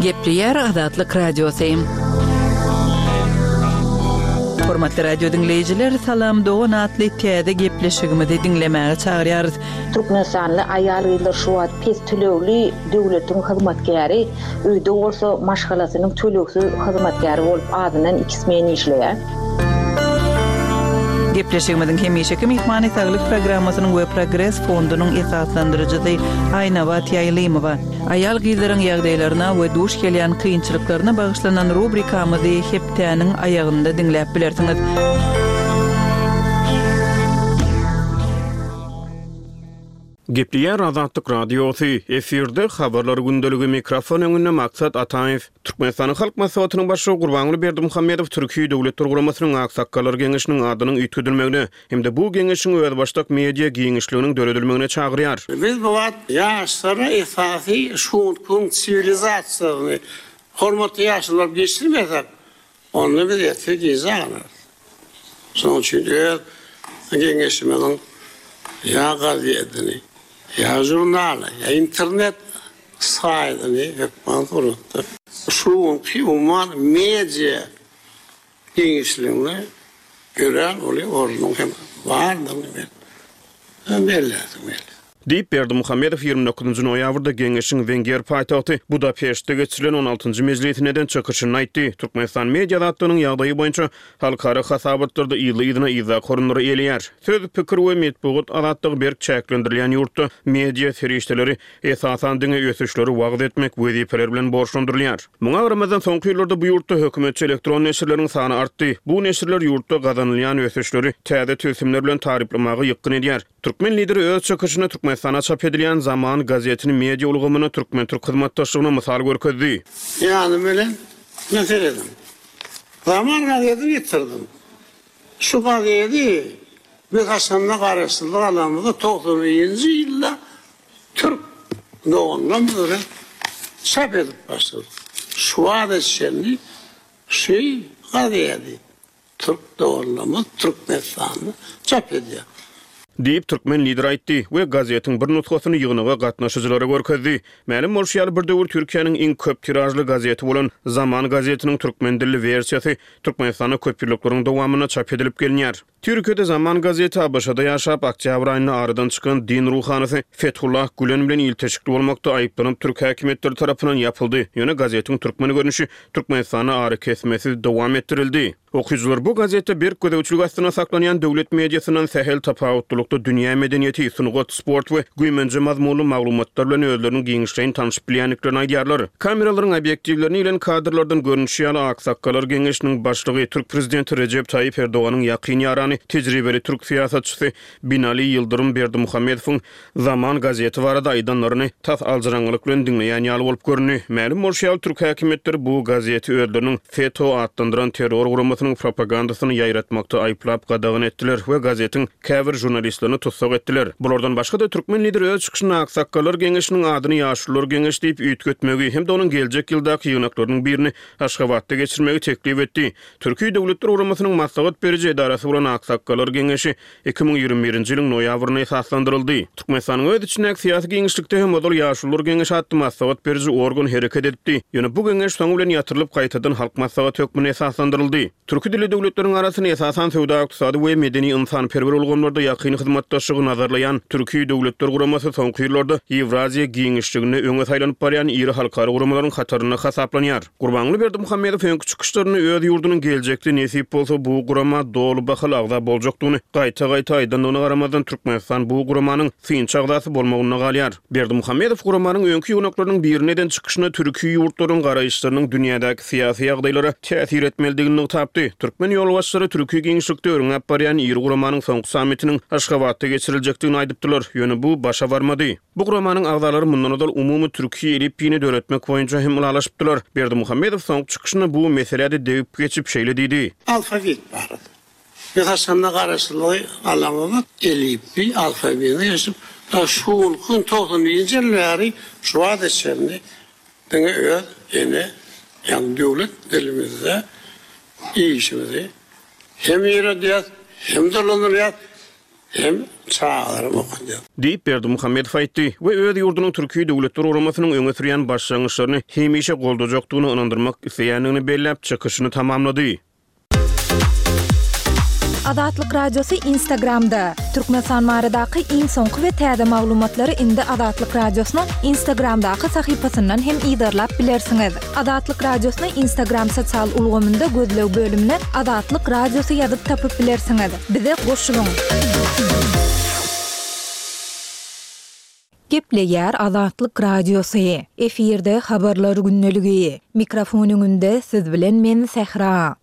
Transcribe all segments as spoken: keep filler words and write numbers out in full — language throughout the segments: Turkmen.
Gepleýär Azatlyk Radiosy. Hormatly radio diňleýjiler, Salam Dogan atly täze gepleşigimizi diňlemäge çagyrýarys. Türkmenistanly aýal-gyzlar şu wagt pes tölegli döwletiň hyzmatkäri, öýde bolsa maşgalasynyň tölegsiz hyzmatkäri bolup azyndan iki smen işleýär. Gepleşigimiziň hemişeki myhmany saglyk programmasynyň we Progres fondunyň esaslandyryjysy Aýnabat Ýaýlymowa. Aýal gyzlaryň ýagdaýlaryna we duş gelýän kynçylyklaryna bagyşlanan rubrikamyzy hepdäniň aýagynda diňläp bilersiňiz. Gepleýär Azatlyk Radiosy, efirde habarlar gündeligi, mikrofon öňünde Maksat Ataýew. Türkmenistanyň Halk Maslahatynyň başlygy Gurbanguly Berdimuhamedow Türkiýe Döwletler Guramasynyň Aksakgallar Geňeşiniň adynyň üýtgedilmegine hem-de bu geňeşiň özbaşdak media giňişliginiň döredilmegine çagyrýar. Biz bu wagt ýaşlara esasy şu gün siwilizasiýasyny hormatly ýaşlar geçirmesek, onda biz ýetip gijä galarys. Şonuň üçin öz geňeşimiziň ýa gazetini, ýa žurnaly, ýa internet saýtyny hökman suratda. Şu günki umuman media giňişliginde örän uly ornuň hem bardygyny men belläsim gelýär. Diýip, Berdimuhamedow ýigrimi dokuzynjy noýabrda geňeşiň Wenger paýtagty Budapeştde geçirilen on altynjy mejlisinde eden çykyşynda aýtdy. Türkmenistan media azatlygynyň ýagdaýy boýunça halkara hasabatlarda yzly-yzyna yzdaky orunlary eýeleýär. Söz, pikir we metbugat azatlygy berk çäklendirilýän ýurtda media serişdeleri esasan diňe ösüşleri wagyz etmek wezipeleri bilen borçlandyrylýar. Muňa garamazdan soňky ýyllarda bu ýurtda hökümetçi elektron neşirleriň sany artdy. Bu neşirler ýurtda gazanylýan ösüşleri täze tilsimler bilen taryplamaga ýykgyn edýär. Türkmen lideri öz çykyşynda Türkmenistana çap edilýän Zaman gazetini media ulgamyna türkmen-türk hyzmatdaşlygyna mysal görkezdi. Ýany bilen meseledim. Zaman gazetini getirdim. Şu gazeti biz haçanda garaşsyzlyk alanymyzda togsan birinji ýylda Türk doganlarymyz bilen çap edip başladyk. Şu wagta çenli şu gazeti Türk doganlarymyz Türkmenistanda çap edýär. Diýip, türkmen lideri aýtdy we gazetiň bir nusgasyny ýygnaga gatnaşyjylara görkezdi. Mälim bolşy ýaly, bir döwür Türkiýäniň iň köp tiražly gazeti bolan Zaman gazetiniň türkmen dilli wersiýasy Türkmenistanda köp ýyllyklaryň dowamynda çap edilip gelinýär. Türkiýede Zaman gazeti A B Ş-da ýaşap, oktýabr aýynda aradan çykan din ruhanysy Fethullah Gülen bilen ilteşikli bolmakda aýyplanyp türk häkimiýetleri tarapyndan ýapyldy. Ýöne gazetiň türkmen görnüşi Türkmenistanda arakesmesiz dowam etdirildi. Okyjylar bu gazetde berk gözegçilik astynda saklanýan döwlet mediasyndan sähel tapawutlylykda dünýä medeniýeti, sungat, sport we güýmenje mazmunly maglumatlar bilen özleriniň giňişleýin tanşyp bilýändiklerini aýdýarlar. Kameralaryň obýektiwlerini ilen kadrlardan görnüşi ýaly Aksakgallar Geňeşiniň başlygy Türk prezidenti Rejep Taýyp Erdoganyň ýakyn ýarany tejribeli türk syýasatçysy Binali Ýyldyrym Berdimuhamedowyň Zaman gazeti barada aýdanlaryny tas aljyraňňylyk bilen diňleýän ýaly bolup göründi. Mälim bolşy ýaly türk häkimiýetleri bu gazeti özleriniň FETÖ atlandyran terror guramasynyň propagandasyny ýaýratmakda aýyplap gadagan etdiler we gazetiň käbir žurnalistlerini tussag etdiler. Bulardan başga-da türkmen lideri öz çykyşynda Aksakgallar Geňeşiniň adyny Ýaşulular Geňeşi diýip üýtgetmegi hem-de onuň geljek ýyldaky ýygnaklarynyň birini Aşgabatda geçirmegi teklip etdi. Türkiýe Döwletler Guramasynyň maslahat beriji edarasy bolan Aksakgallar Geňeşi iki müň ýigrimi birinji ýylyň noýabrynda esaslandyryldy. Türkmenistanyň öz içindäki syýasy giňişlikde hem ozal Ýaşulular Geňeşi atly maslahat beriji organ hereket edipdi. Ýöne bu geňeş soňy bilen ýatyrylyp gaýtadan halk maslahaty hökmünde esaslandyryldy. Türki dilli döwletleriň arasynda esasan söwda-ykdysady we medeni ynsanperwer ulgamlarda ýakyn hyzmatdaşlygy nazarlaýan Türkiýe Döwletler Guramasy soňky ýyllarda Ýewraziýa giňişliginde öňe saýlanyp barýan iri halkara guramalaryň hatarynda hasaplanýar. Gurbanguly Berdimuhamedow öňki çykyşlarynda öz ýurdunyň geljekde nesip bolsa bu gurama doly bahaly agza boljakdygyny gaýta-gaýta aýdandygyna garamazdan Türkmenistan bu guramanyň synçy agzasy bolmagynda galýar. Berdimuhamedow guramanyň öňki ýygnaklarynyň birinde eden çykyşynda türki ýurtlaryň garaýyşlarynyň dünýädäki syýasy ýagdaýlara täsir etmelidigini nygtapdy. Türkmen ýolbaşçylary türki giňişlikde örňäp barýan iri guramanyň soňky sammitiniň Aşgabatda geçiriljekdigini aýdypdylar. Ýöne bu başa barmady. Bu guramanyň agzalary mundan ozal umumy Türkiýe elipbiýini döretmek boýunça hem ylalaşypdylar. Berdimuhamedow soňky çykyşynda bu meselede degip geçip şeýle diýdi. Alfabet barada. Biz haçanda garaşsyzlygy alamyzda elipbiý alfabetini geçip, ta şu gün togsan birinji ýyl bäri şu wagta çenli diňe öz ene, ýagny döwlet dilimizde işimizi hem ýöredýäs, hem dolandyrýas, Hem çagalarym okadýar. Diýip, Berdimuhamedow aýtdy we öz ýurdunyň Türki Döwletler Guramasynyň öňe sürýän başlangyçlaryny hemişe goldajakdygyny ynandyrmak isleýändigini belläp, çykyşyny tamamlady. Azatlyk Radiosy Instagramda, Türkmenistan baradaky iň soňky we täze maglumatlary indi Azatlyk Radiosynyň Instagramdaky sahypasyndan hem yzarlap bilersiňiz. Azatlyk Radiosyny Instagram sosial ulgamynda gözleg bölümine Azatlyk Radiosy ýazyp tapyp bilersiňiz. Bize goşulyň! Gepleýär Azatlyk Radiosy. Efirde Habarlar gündeligi. Mikrofon öňünde siz bilen men Sähra.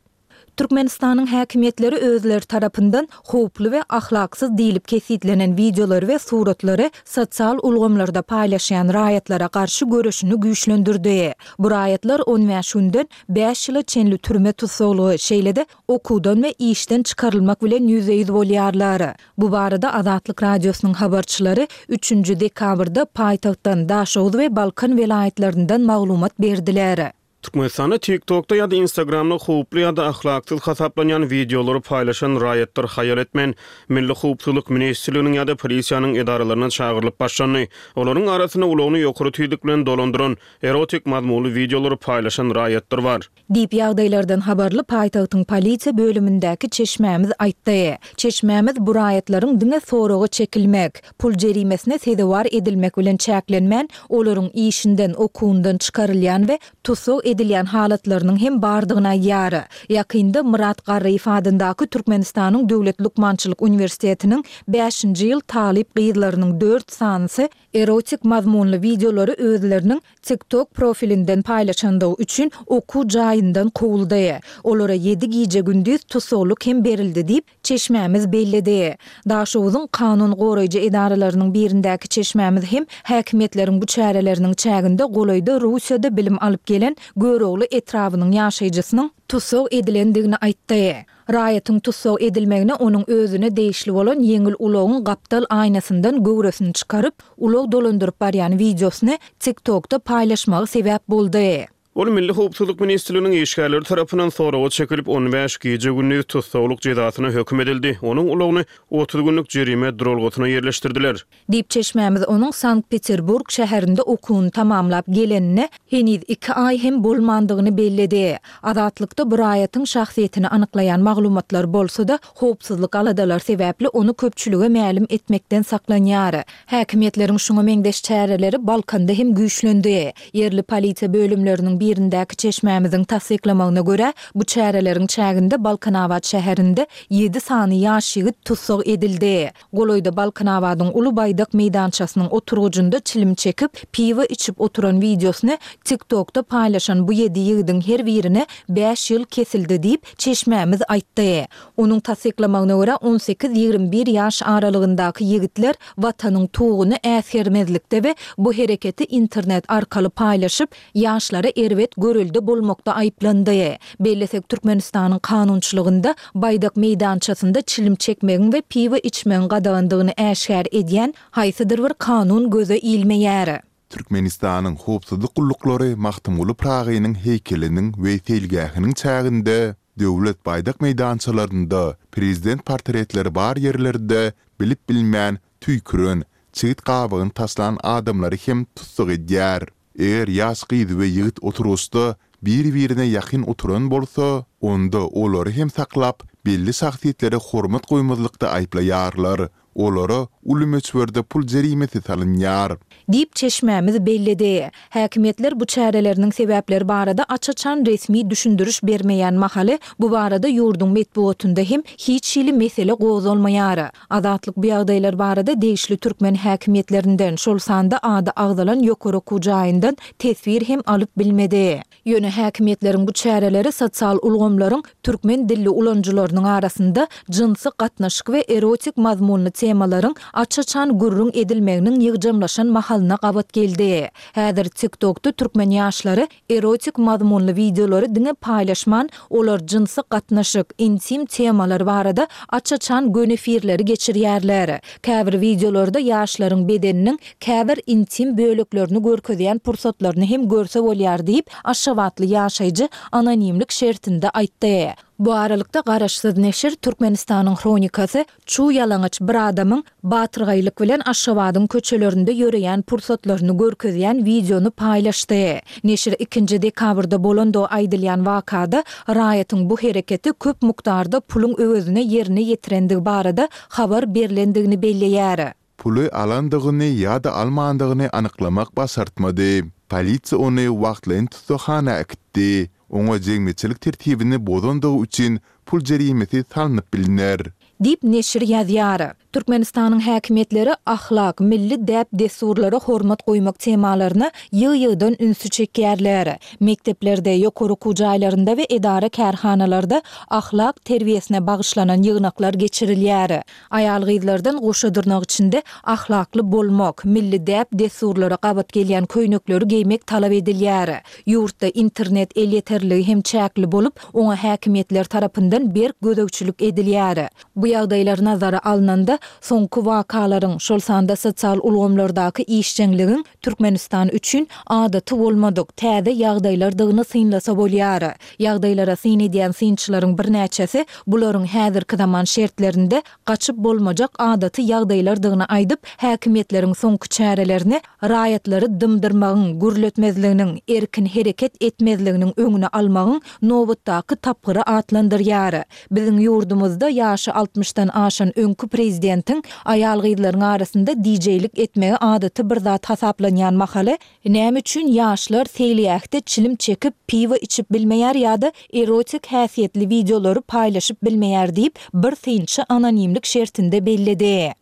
Türkmenistanyň häkimiýetleri özleri tarapyndan howply we ahlaksyz diýlip kesgitlenen wideolary we suratlary sosial ulgamlarda paýlaşýan raýatlara garşy göreşini güýçlendirdi. Bu raýatlar on bäş günden bäş ýyla çenli türme tussaglygy, şeýle-de okuwdan we işden çykarylmak bilen ýüzbe-ýüz bolýarlar. Bu barada Azatlyk Radiosynyň habarçylary üçünji dekabrda paýtagtdan, Daşoguz we Balkan welaýatlaryndan maglumat berdiler. Türkmenistanda TikTokda ýa-da Instagramda howply ýa-da ahlaksyz hasaplanýan wideolary paýlaşan raýatlar haýal etmän, Milli howpsuzlyk ministrliginiň ýa-da polisiýanyň edaralaryna çagyrylyp başlandy. Olaryň arasynda ulagyny ýokary tizlik bilen dolandyran, erotik mazmunly wideolary paýlaşan raýatlar bar. Diýip, ýagdaýlardan habarly paýtagtyň polisiýa bölümindäki çeşmämiz aýtdy. Çeşmämiz bu raýatlaryň diňe soraga çekilmek, pul jerimesine sezewar edilmek bilen çäklenmän, olaryň işinden, okuwyndan çykarylýan we tussag edilýän halatlarynyň hem bardygyny aýdýar. Ýakynda Myrat Garryýew adyndaky Türkmenistanyň Döwlet lukmançylyk uniwersitetiniň bäşinji ýyl talyp gyzlarynyň dört sanysy erotik mazmunly wideolary özleriniň TikTok profilinden paýlaşandygy üçin okuw jaýyndan kowuldy. Olara ýedi gije-gündiz tussaglyk hem berildi diýip, çeşmämiz belledi. Daşoguzyň kanun goraýjy edaralarynyň birindäki çeşmämiz hem häkimiýetleriň bu çäreleriniň çäginde golaýda Russiýada bilim alyp gelen Görogly etrabynyň ýaşaýjysynyň tussag edilendigini aýtdy. Raýatyň tussag edilmegine onuň özüne degişli bolan ýeňil ulagyň gapdal aýnasyndan göwresini çykaryp, ulag dolandyryp barýan wideosyny TikTokda paýlaşmagy sebäp boldy. Ol Milli howpsuzlyk ministrliginiň işgärleri tarapyndan soraga çekilip, on bäş gije-gündiz tussaglyk jezasyna höküm edildi. Onuň ulagyny otuz günlük jerime duralgasyna ýerleşdirdiler. Diýip, çeşmämiz onuň Sankt-Peterburg şäherinde okuwyny tamamlap gelenine heniz iki aý hem bolmandygyny belledi. Azatlykda bu raýatyň şahsyýetini anyklaýan maglumatlar bolsa-da, howpsuzlyk aladalary sebäpli ony köpçülige mälim etmekden saklanýar. Häkimiýetleriň şuňa meňzeş çäreleri Balkanda hem güýçlendi. Ýerli polisiýa bölümleriniň birindäki çeşmämiziň tassyklamagyna görä, bu çäreleriň çäginde Balkanabat şäherinde ýedi sany ýaş ýigit tussag edildi. Golaýda Balkanabadyň Uly baýdak meýdançasynyň oturgyjynda çilim çekip, piwo içip oturan wideosyny TikTokda paýlaşan bu ýedi ýigidiň her birine bäş ýyl kesildi diýip, çeşmämiz aýtdy. Onuň tassyklamagyna görä, on sekiz-ýigrimi bir ýaş aralygyndaky ýigitler Watanyň tuguny äsgermezlikde we bu hereketi internet arkaly paýlaşyp, ýaşlara erbet görelde bolmakda aýyplandy. Bellesek, Türkmenistanyň kanunçylygynda baýdak meýdançasynda çilim çekmegiň we piwo içmegiň gadagandygyny äşgär edýän haýsydyr bir kanun göze ilmeýär. Türkmenistanyň howpsuzlyk gulluklary Magtymguly Pyragynyň heýkeliniň we seýilgähiniň çäginde, Döwlet baýdak meýdançalarynda, prezident portretleri bar ýerlerde bilip-bilmän tüýküren, çigit gabygyny taşlan adamlary hem tussag edýär. Eger ýaş gyz we ýigit oturgyçda bir-birine ýakyn oturan bolsa, onda olary hem saklap, belli şahsyýetlere hormat goýmazlykda aýyplaýarlar. Olara uly möçberde pul jerimesi salynýar. Diýip, çeşmämiz belledi. Häkimiýetler bu çäreleriniň sebäpleri barada aç-açan resmi düşündiriş bermeýän mahaly, bu barada ýurduň metbugatynda hem hiç hili mesele gozgalmaýar. Azatlyk bu ýagdaýlar barada degişli türkmen häkimiýetlerinden, şol sanda ady agzalan ýokary okuw jaýyndan teswir hem alyp bilmedi. Ýöne häkimiýetleriň bu çäreleri sosial ulgamlaryň türkmen dilli ulanyjylarynyň arasynda jynsy gatnaşyk we erotik mazmunly temalaryň aç-açan gürrüň edilmeginiň ýygjamlaşan mahalyna gabat geldi. Häzir TikTokda türkmen ýaşlary erotik mazmunly wideolary diňe paýlaşman, olar jynsy gatnaşyk, intim temalar barada aç-açan göni efirleri geçirýärler. Käbir wideolarda ýaşlaryň bedeniniň käbir intim böleklerini görkezýän pursatlaryny hem görse bolýar diýip, aşgabatly ýaşaýjy anonimlik şertinde aýtdy. Bu aralykda garaşsyz neşir Türkmenistanyň Hronikasy çuw ýalaňaç bir adamyň batyrgaýlyk bilen Aşgabadyň köçelerinde ýöreýän pursatlaryny görkezýän wideony paýlaşdy. Neşir ikinji dekabrda bolandygy aýdylýan wakada raýatyň bu hereketi köp mukdarda puluň öwezine ýerine ýetirendigi barada habar berlendigini belleýär. Puly alandygyny ýa-da almandygyny anyklamak başartmady. Polisiýa ony wagtlaýyn tussaghana äkitdi. Oňa jemgyýetçilik tertibini bozandygy üçin pul jerimesi salnyp bilner. Diýip, neşir ýazýar. Türkmenistanyň häkimiýetleri ahlak, milli däp-dessurlara hormat goýmak temalaryna ýygy-ýygydan ünsi çekýärler. Mekdeplerde, ýokary okuw jaýlarynda we edara-kärhanalarda ahlak terbiýesine bagyşlanan ýygnaklar geçirilýär. Aýal-gyzlardan goşa dyrnak içinde ahlakly bolmak, milli däp-dessurlara gabat gelýän köýnekleri geýmek talap edilýär. Ýurtda internet elýeterliligi hem çäkli bolup, oňa häkimiýetler tarapyndan berk gözegçilik edilýär. Bu ýagdaýlar nazara alnanda, soňky wakalaryň, şol sanda sosial ulgamlardaky işjeňligiň Türkmenistan üçin adaty bolmadyk, täze ýagdaýlardygyny synlasa bolýar. Ýagdaýlara syn edýän synçylaryň birnäçesi bularyň häzirki zaman şertlerinde gaçyp bolmajak adaty ýagdaýlardygyny aýdyp, häkimiýetleriň soňky çärelerini raýatlary dymdyrmagyň, gürletmezliginiň, erkin hereket etmezliginiň öňüni almagyň nobatdaky tapgyry atlandyrýar. Biziň ýurdumyzda ýaşy altmyşdan aşan öňki prezidentiň aýal-gyzlaryň arasynda dijeýlik etmegi adaty bir zat hasaplanýan mahaly, näme üçin ýaşlar seýilgähde çilim çekip, piwo içip bilmeýär ýa-da erotik häsiýetli wideolary paýlaşyp bilmeýär diýip, bir synçy anonimlik şertinde belledi.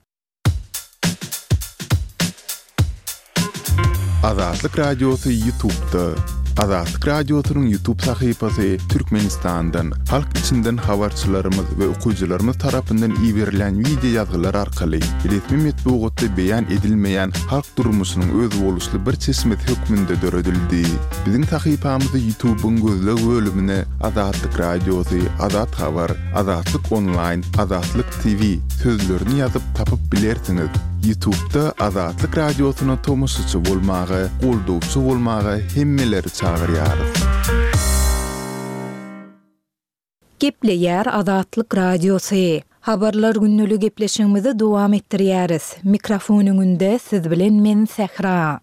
Azatlyk Radiosy Ýutubda. Azatlyk Radiosynyň Ýutub sahypasy Türkmenistandan, halk içinden habarçylarymyz we okyjylarymyz tarapyndan iberilen wideo ýazgylar arkaly resmi metbugatda beýan edilmeýän halk durmuşynyň özboluşly bir çeşmesi hökmünde döredildi. Biziň sahypamyzy Ýutubyň gözleg bölümine Azatlyk Radiosy, Azat Habar, Azatlyk Onlaýn, Azatlyk T V sözlerini ýazyp tapyp bilersiňiz. Ýutubda Azatlyk Radiosyna tomaşaçy bolmaga, goldawçy bolmaga hemmeleri çagyrýarys. Gepleýär Azatlyk Radiosy. Habarlar günlügi gepleşigimizi dowam etdirýäris. Mikrofon öňünde siz bilen men Sähra.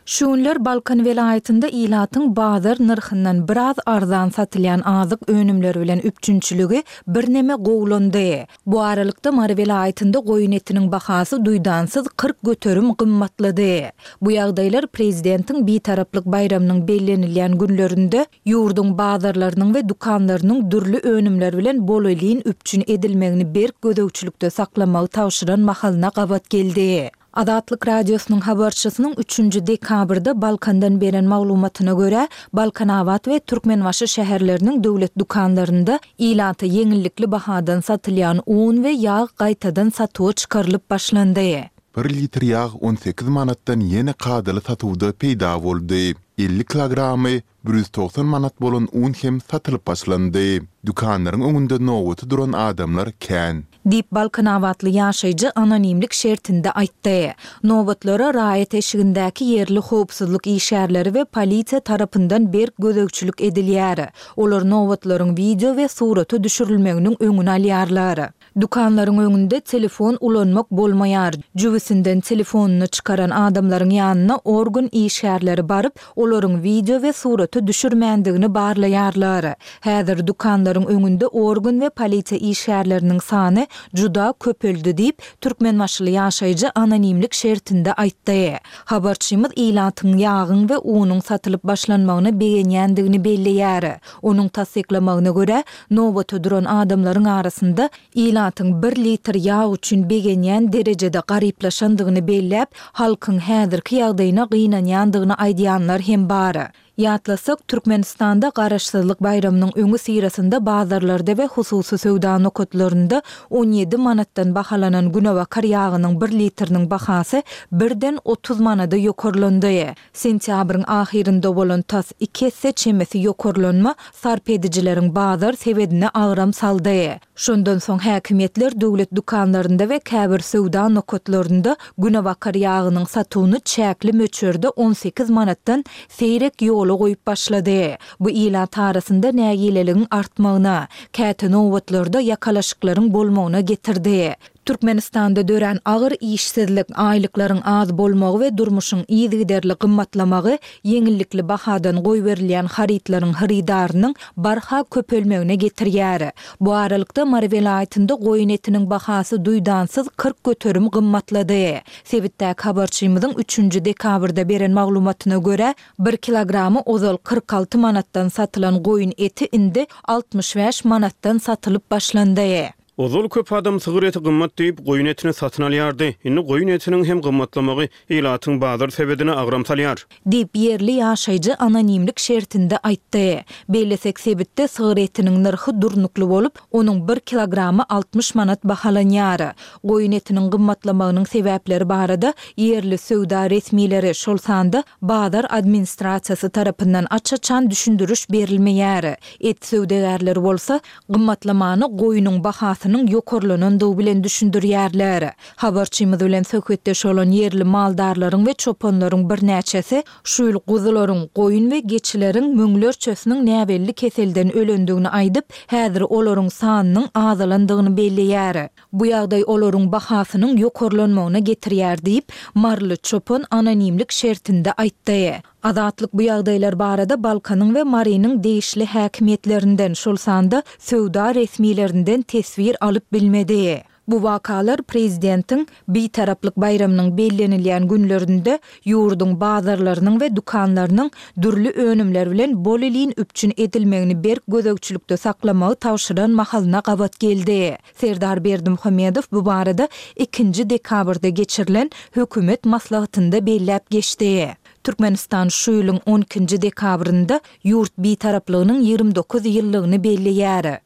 Şu günler Balkan welaýatynda ilatyň bazar nyrhyndan biraz arzan satylýan azyk önümleri bilen üpjünçiligi birneme gowulandy. Bu aralykda Mary welaýatynda goýun etiniň bahasy duýdansyz kyrk göterim gymmatlady. Bu ýagdaýlar prezidentiň Bitaraplyk baýramynyň bellenilýän günlerinde ýurduň bazarlarynyň we dükanlarynyň dürli önümler bilen bolelin üpjün edilmegini berk gözegçilikde saklamagy tabşyran mahalyna gabat geldi. Azatlyk Radiosynyň habarçysynyň üçünji dekabrda Balkandan beren maglumatyna görä, Balkanabat we Türkmenbaşy şäherleriniň döwlet dükanlarynda ilata ýeňillikli bahadan satylýan un we ýag gaýtadan satuwa çykarylyp başlandy. Bir litr ýag on sekiz manatdan ýene kadaly satuwda peýda boldy. Elli kilogramy bir ýüz togsan manat bolan un hem satylyp başlandy. Dükanlaryň öňünde nobata duran adamlar kän. Diýip, balkanabatly ýaşaýjy anonimlik şertinde aýtdy. Nobatlara raýat eşigindäki ýerli howpsuzlyk işgärleri we polisiýa tarapyndan berk gözegçilik edilýär. Olar nobatlaryň wideo we surata düşürilmeginiň öňüni alýarlar. Dükanlaryň öňünde telefon ulanmak bolmaýar. Jübüsinden telefonyny çykaran adamlaryň ýanyna organ işgärleri baryp, olaryň wideo we surata düşürmändigini barlaýarlar. Häzir dükanlaryň öňünde organ we polisiýa işgärleriniň sany juda köpeldi diýip, türkmenbaşyly ýaşaýjy anonimlik şertinde aýtdy. Habarçymyz ilatyň ýagyň we unuň satylyp başlanmagyna begenýändigini belleýär. Onuň tassyklamagyna görä, nobata duran adamlaryň arasynda ilatyň bir litr ýag üçin begenýän derejede garyplaşandygyny belläp, halkyň häzirki ýagdaýyna gynanýandygyny aýdýanlar hem bar. Ýatlasak, Türkmenistanda Garaşsyzlyk baýramynyň öňüsyrasynda bazarlarda we hususy söwda nokatlarynda on ýedi manatdan bahalanan günebakar ýagynyň bir litriniň bahasy birden otuz manada ýokarlandy. Sentýabryň ahyrynda bolan tas iki esse çemesi ýokarlanma sarp edijileriň bazar sebedine agram saldy. Şondan soň häkimiýetler döwlet dükanlarynda we käbir söwda nokatlarynda günebakar ýagynyň satuwyny çäkli möçberde on sekiz manatdan seýrek ýola ýola goýup başlady. Bu ilat arasynda nägileligiň artmagyna, käte nobatlarda ýakalaşyklaryň bolmagyna getirdi. Türkmenistanda dörän agyr işsizlik, aýlyklaryň az bolmagy we durmuşyň yzygiderli gymmatlamagy ýeňillikli bahadan goýberilýän harytlaryň hyrydarynyň barha köpelmegine getirýär. Bu aralykda, Mary welaýatynda goýun etiniň bahasy duýdansyz kyrk göterim gymmatlady. Sebitdäki habarçymyzyň üçünji dekabrda beren maglumatyna görä, bir kilogramy ozal kyrk alty manatdan satylan goýun eti indi altmyş bäş manatdan satylyp başlandy. Ozal köp adam sygyr eti gymmat diýip, goýun etini satyn alýardy. Indi goýun etiniň hem gymmatlamagy ilatyň bazar sebedine agram salýar. Diýip, ýerli ýaşaýjy anonimlik şertinde aýtdy. Bellesek, sebitde sygyr etiniň nyrhy durnukly bolup, onuň bir kilogramy altmyş manat bahalanýar. Goýun etiniň gymmatlamagynyň sebäpleri barada ýerli söwda resmileri, şol sanda bazar administrasiýasy tarapyndan aç-açan düşündiriş berilmeýär. Et söwdagärleri bolsa, Gymmatlamany goýnuň bahasynyň ýokarlanandygy bilen düşündirýärler. Habarçymyz bilen söhbetdeş bolan ýerli maldarlaryň we çopanlaryň birnäçesi şu ýyl guzularyň, goýun we geçileriň müňlerçesiniň näbelli keselden ölendigini aýdyp, häzir olaryň sanynyň azalandygyny belleýär. Bu ýagdaý olaryň bahasynyň ýokarlanmagyna getirýär diýip, maryly çopan anonimlik şertinde aýtdy. Azatlyk bu ýagdaýlar barada Balkanyň we Marynyň degişli häkimiýetlerinden, şol sanda söwda resmilerinden teswir alyp bilmedi. Bu wakalar prezidentiň Bitaraplyk baýramynyň bellenilýän günlerinde ýurduň bazarlarynyň we dükanlarynyň dürli önümler bilen bolelin üpjün edilmegini berk gözegçilikde saklamagy tabşyran mahalyna gabat geldi. Serdar Berdimuhamedow bu barada ikinji dekabrda geçirilen hökümet maslahatynda belläp geçdi. Türkmenistan şu ýylyň on ikinji dekabrynda ýurt Bitaraplygynyň ýigrimi dokuz ýyllygyny belleýär.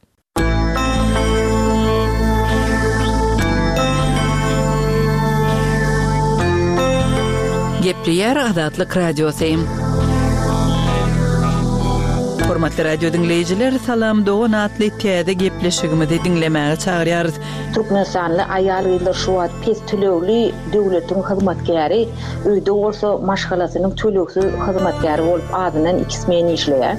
Gepleýär Azatlyk Radiosy. Hormatly radio diňleýjiler, Salam dogan atly täze gepleşigimizi diňlemäge çagyrýarys. Türkmenistanly aýal-gyzlar şu wagt pes tölegli döwletiň hyzmatkäri, öýde bolsa maşgalasynyň tölegsiz hyzmatkäri bolup azyndan iki smen işleýär.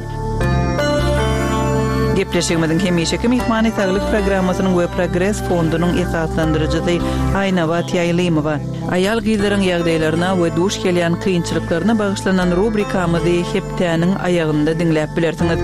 Gepleşigimiziň hemişeki myhmany Saglyk programmasynyň we Progres fondunyň esaslandyryjysy Aýnabat Ýaýlymowa. Aýal-gyzlaryň ýagdaýlaryna we duş gelýän kynçylyklaryna bagyşlanan rubrikamyzy hepdäniň aýagynda diňläp bilersiňiz.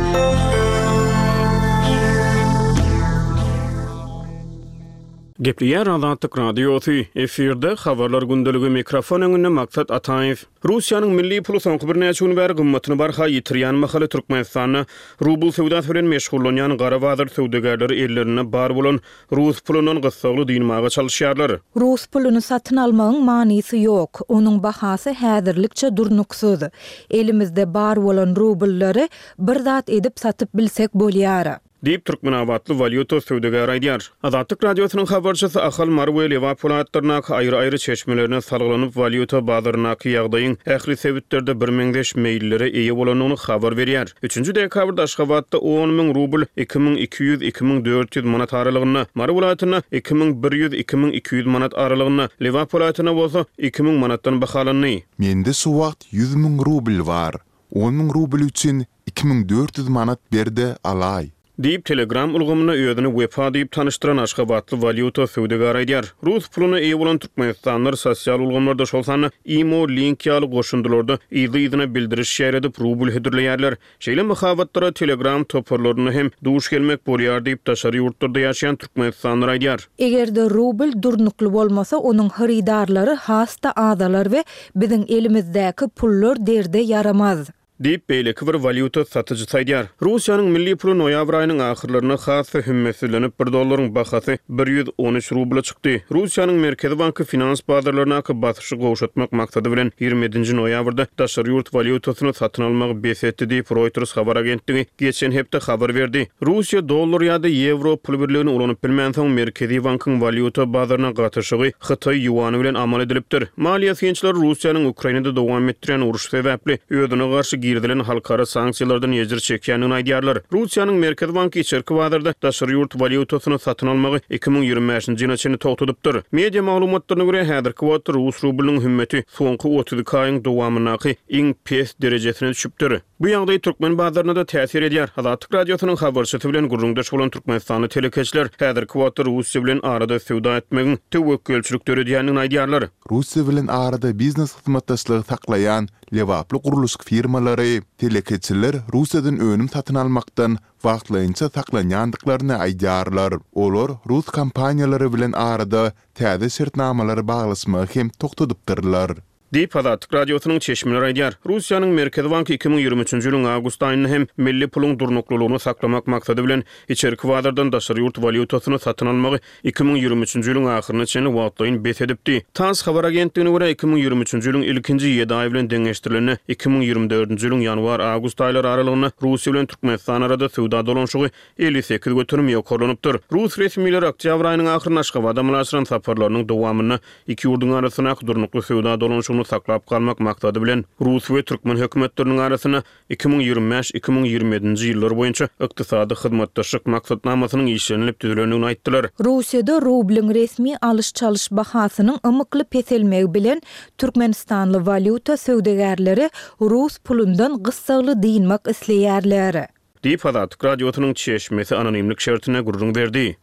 Gepleýär Azatlyk Radiosy, efirde Habarlar gündeligi, mikrofon öňünde Maksat Ataýew. Russiýanyň milli puly soňky birnäçe gün bäri gymmatyny barha ýitirýän mahaly Türkmenistanda rubl söwdasy bilen meşgullanýan gara bazar söwdagärleri ellerinde bar bolan rus pulundan gyssagly dynmaga çalyşýarlar. Rus puluny satyn almagyň manysy ýok, onuň bahasy häzirlikçe durnuksyz. Elimizde bar bolan rubllary bir zat edip satyp bilsek bolýar. Diýip, türkmenabatly walýuta söwdagäri aýdýar. Azatlyk Radiosynyň habarçysy Ahal, Mary we Lebap welaýatlaryndaky aýry-aýry çeşmelerine salgylanyp, walýuta bazaryndaky ýagdaýyň ähli sebitlerde birmeňzeş meýillere eýe bolandygyny habar berýär. Üçünji dekabrda Aşgabatda on müň rubl iki müň iki ýüz, iki müň dört ýüz manat aralygynda, Mary welaýatynda iki müň bir ýüz, iki müň iki ýüz manat aralygynda, Lebap welaýatynda bolsa iki müň manatdan bahalandy. Mende şu wagt ýüz müň rubl bar. On müň rubl üçin iki müň dört ýüz manat ber-de alaý. Diýip, Telegram ulgamynda özüni Wepa diýip tanyşdyran aşgabatly walýuta söwdagäri aýdýar. Rus puluna eýe bolan türkmenistanlylar sosial ulgamlarda, şol sanda Imo, Link ýaly goşundylarda yzly-yzyna bildiriş ýaýradyp, rubl hödürleýärler. Şeýle mahabatlara Telegram toparlarynda hem duş gelmek bolýar diýip, daşary ýurtlarda ýaşaýan türkmenistanlylar aýdýar. Eger-de rubl durnukly bolmasa, onuň hyrydarlary has-da azalar we biziň elimizdäki pullar derde ýaramaz. Diýip, beýleki bir walýuta satyjysy aýdýar. Russiýanyň milli puly noýabr aýynyň ahyrlarynda has-da hümmetsizlenip, bir dollaryň bahasy bir ýüz on üç rubla çykdy. Russiýanyň Merkezi banky finans bazarlaryndaky basyşy gowşatmak maksady bilen, ýigrimi ýedinji noýabrda daşary ýurt walýutasyny satyn almagy bes etdi diýip, Reuters habar agentligi geçen hepde habar berdi. Russiýa dollar ýa-da ýewro pul birligini ulanyp bilmänsoň, Merkezi bankyň walýuta bazaryna gatyşygy hytaý ýuany bilen amal edilipdir. Maliýe synçylary Russiýanyň Ukrainada dowam etdirýän urşy sebäpli özüne garşy girizilen halkara sanksiýalardan ejir çekýändigini aýdýarlar. Russiýanyň Merkezi banky içerki bazarda daşary ýurt walýutasyny satyn almagy iki müň ýigrimi bäşinji ýyla çenli togtadypdyr. Media maglumatlaryna görä, häzirki wagtda rus rublynyň hümmeti soňky otuz iki aýyň dowamyndaky iň pes derejesine düşüpdir. Bu ýagdaý türkmen bazaryna-da täsir edýär. Azatlyk Radiosynyň habarçysy bilen gürrüňdeş bolan türkmenistanly telekeçiler häzirki wagtda Russiýa bilen arada söwda etmegiň töwekgelçilik döredýändigini aýdýarlar. Russiýa bilen arada biznes hyzmatdaşlygy saklaýan lebaply gurluşyk firmalary, telekeçiler Russiýadan önüm satyn almakdan wagtlaýynça saklanýandyklaryny aýdýarlar. Olar rus kompaniýalary bilen arada täze şertnamalary baglaşmagy hem togtadypdyrlar. Diýip, Azatlyk Radiosynyň çeşmeleri aýdýar. Russiýanyň Merkezi banky iki müň ýigrimi üçünji ýylyň awgust aýynda hem milli puluň durnuklylygyny saklamak maksady bilen içerki bazardan daşary ýurt walýutasyny satyn almagy iki müň ýigrimi üçünji ýylyň ahyryna çenli wagtlaýyn bes edipdi. Tass habar agentligine görä, iki müň ýigrimi üçünji ýylyň ilkinji ýedi aýy bilen deňeşdirilende, iki müň ýigrimi dördünji ýylyň ýanwar-awgust aýlary aralygynda Russiýa bilen Türkmenistan arada söwda dolanyşygy elli sekiz göterim ýokarlanypdyr. Rus resmileri oktýabr aýynyň ahyrynda Aşgabada amala aşyran saparlarynyň dowamynda iki ýurduň arasyndaky durnukly söwda dolanyşygyny saklap galmak maksady bilen rus we türkmen hökümetleriniň arasynda iki müň ýigrimi bäş, iki müň ýigrimi ýedinji ýyllar boýunça ykdysady hyzmatdaşlyk maksatnamasynyň işlenilip düzülendigini aýtdylar. Russiýada rublyň resmi alyş-çalyş bahasynyň ymykly peselmegi bilen türkmenistanly walýuta söwdagärleri rus pulundan gyssagly dynmak isleýärler. Diýip, Azatlyk Radiosynyň çeşmesi anonimlik şertinde gürrüň berdi.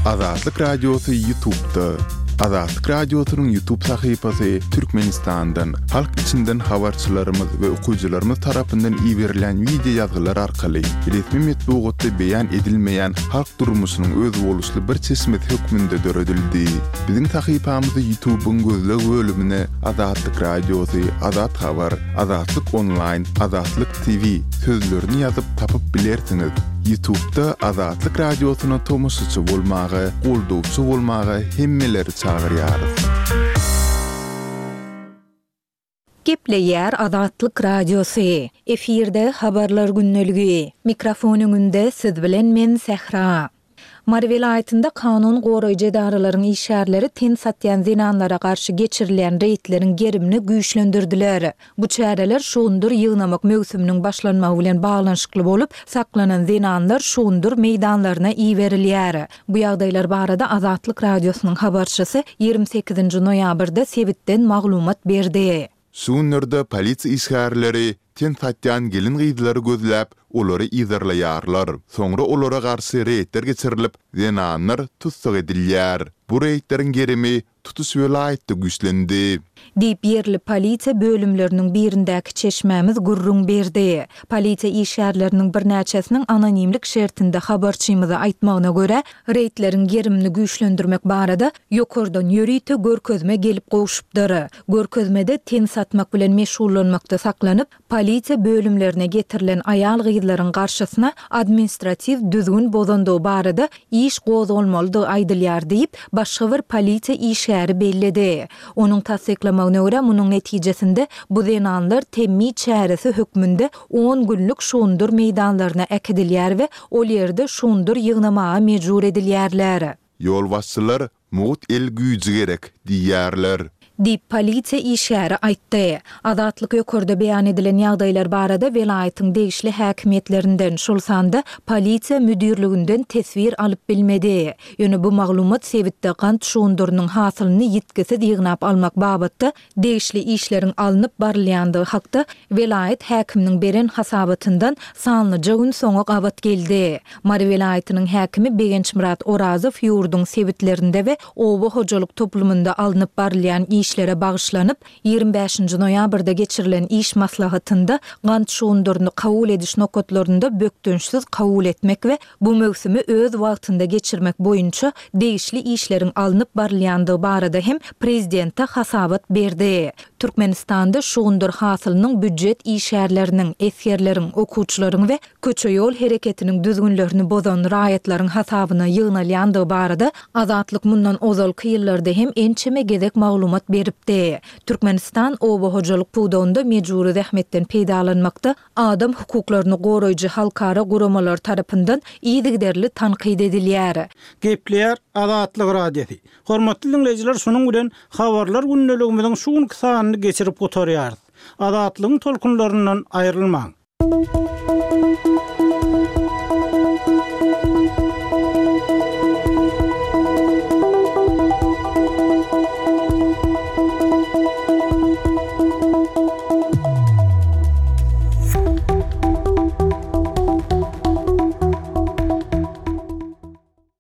Azatlyk Radiosy YouTube'da. Azatlyk Radiosynyň YouTube sahypasy Türkmenistandan, halk içinden habarçylarymyz we okyjylarymyz tarapyndan iberilýän wideo ýazgylar arkaly resmi metbugatda beýan edilmeýän halk durmuşynyň özboluşly bir çeşmesi hökmünde döredildi. Biziň sahypamyzy YouTube'yň gözleg bölümine Azatlyk Radiosy, Azat Habar, Azatlyk Onlaýn, Azatlyk T V sözlerini ýazyp tapyp bilersiňiz. YouTube'da Azatlyk Radiosyna tomaşaçy bolmaga, goldawçy bolmaga hemmeleri çagyrýarys. Gepleýär Azatlyk Radiosy. Efirde habarlar gündeligi. Mikrofon öňünde siz bilen men Sähra. Mary welaýatynda kanun goraýjy edaralaryň işgärleri ten satýan zenanlara garşy geçirilýän reýdleriň gerimini güýçlendirdiler. Bu çäreler şugundyr ýygnamak möwsüminiň başlanmagy bilen baglanyşykly bolup, saklanan zenanlar şugundyr meýdanlaryna iberilýär. Bu ýagdaýlar barada Azatlyk Radiosynyň habarçysy ýigrimi sekizinji noýabrda sebitden maglumat berdi. Şugunlarda polisiýa işgärleri ten satýan gelin-gyzlary gözläp, olary yzarlaýarlar. Soňra olara garşy reýdler geçirilip, zenanlar tussag edilýär. Bu reýdleriň gerimi tutuş welaýatda güýçlendi. Diýip, ýerli polisiýa bölümleriniň birindäki çeşmämiz gürrüň berdi. Polisiýa işgärleriniň birnäçesiniň anonimlik şertinde habarçymyza aýtmagyna görä, reýdleriň gerimini güýçlendirmek barada ýokardan ýörite görkezme gelip gowşupdyr. Görkezmede ten satmak bilen meşgullanmakda saklanyp, polisiýa bölümlerine getirilen aýal-gyzlaryň garşysyna administratiw düzgün bozandygy barada iş gozgalmalydygy aýdylýar diýip, başga bir polisiýa işgäri belledi. Onuň tassyklamagyna görä, munuň netijesinde bu zenanlar temmi çäresi hökmünde on günlük şugundyr meýdanlaryna äkidilýär we ol ýerde şugundyr ýygnamaga mejbur edilýärler. Ýolbaşçylar mugt el güýji gerek diýýärler. Diýip, polisiýa işgäri aýtdy. Azatlyk ýokarda beýan edilen ýagdaýlar barada welaýatyň degişli häkimiýetlerinden, şol sanda polisiýa müdirliginden teswir alyp bilmedi. Ýöne bu maglumat sebitde gant şugundyrynyň hasylyny ýitgisiz ýygnap almak babatda degişli işleriň alnyp barylýandygy hakda welaýat häkiminiň beren hasabatyndan sanlyja gün soňa gabat geldi. Mary welaýatynyň häkimi Begençmyrat Orazow ýurduň sebitlerinde we oba hojalyk toplumynda alnyp barylýan işlere bagyşlanyp, ýigrimi bäşinji noýabrda geçirilen iş maslahatynda gant şugundyryny kabul ediş nokatlarynda bökdençsiz kabul etmek we bu möwsümi öz wagtynda geçirmek boýunça degişli işleriň alnyp barylýandygy barada hem prezidente hasabat berdi. Türkmenistanda şugundyr hasylynyň býujet işgärleriniň, esgerleriň, okuwçylaryň we köçe-ýol hereketiniň düzgünlerini bozan raýatlaryň hasabyna ýygnalýandygy barada Azatlyk mundan ozalky ýyllarda hem ençeme gezek maglumat beripdi. Türkmenistan oba hojalyk pudagynda mejbury zähmetden peýdalanmakda adam hukuklaryny goraýjy halkara guramalar tarapyndan yzygiderli tankyt edilýär. Gepleýär Azatlyk Radiosy. Hormatly diňleýjiler, şunuň bilen Habarlar gündeligimiziň şu günki sanyny geçirip gutarýarys. Azatlygyň tolkunlaryndan aýrylmaň.